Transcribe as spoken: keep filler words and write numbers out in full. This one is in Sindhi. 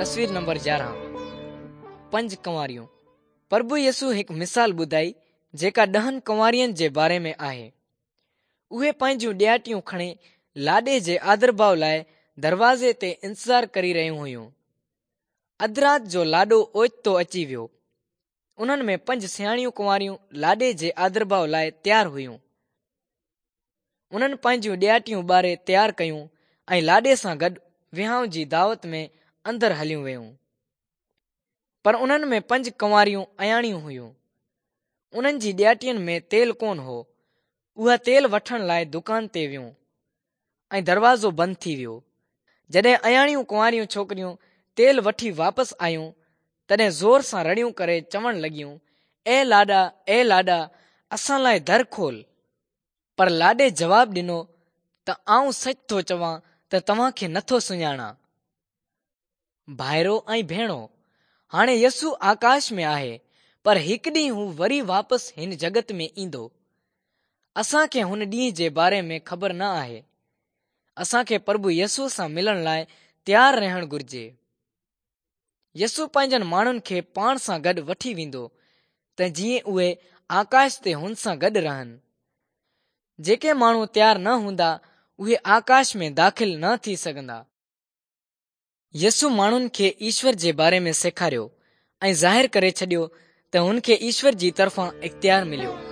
تصوير نمبر يارهن پنج ڪنواريون. پرڀو يسوع هڪ مثال ٻڌائي جيڪا ڏهن ڪنوارين جي باري ۾ آهي. اهي پنهنجون ڏياٽيون کڻي لاڏي جي آدرڀاءُ لاءِ دروازي تي انتظار ڪري رهيون هيون. اڌ رات جو لاڏو اوچتو اچي ويو. انهن ۾ پنج سياڻيون ڪنواريون لاڏي جي آدرڀاءُ لاءِ تيار هيون. انهن پنهنجون ڏياٽيون ٻاري تيار ڪيون ۽ لاڏي سان گڏ وهانءُ جي دعوت ۾ اندر هليون ويون. پر انهن ۾ پنج ڪنواريون اياڻيون هيون. انهن جي ڏياٽين ۾ تيل ڪونه هو. اها تيل وٺڻ لاءِ دڪان تي ويون ۽ دروازو بند ٿي ويو. جڏهن اياڻيون ڪنواريون ڇوڪريون تيل وٺي واپس آيون تڏهن زور سان رڙيون ڪري چوڻ لڳيون، اي لاڏا، اي لاڏا، اسان لاءِ در کول. پر لاڏي جواب ڏنو ته آئون سچ ٿو چوان ته توهان کي نٿو سڃاڻان. ڀائرو ۽ ڀيڻو، هاڻي يسوع آڪاش ۾ آهي، پر هڪ ڏينهن هو وري واپس هن جڳت ۾ ايندو. اسان کي هن ڏينهن جي باري ۾ خبر نه آهي. اسان کي پرڀو يسوع سان ملڻ لاءِ تيار رهڻ گهرجي. يسوع پنهنجن ماڻهن کي پاڻ سان گڏ وٺي ويندو ته جيئن اهي آڪاش تي هن سان گڏ رهن. جيڪي ماڻهو تيار نه هوندا اهي آڪاش ۾ داخل نه ٿي سگهندا. يسوع ماڻهن کي ايشور جي باري ۾ سيکاريو ۽ ظاهر ڪري ڇڏيو ته هن کي ايشور جي طرفان اختيار مليو.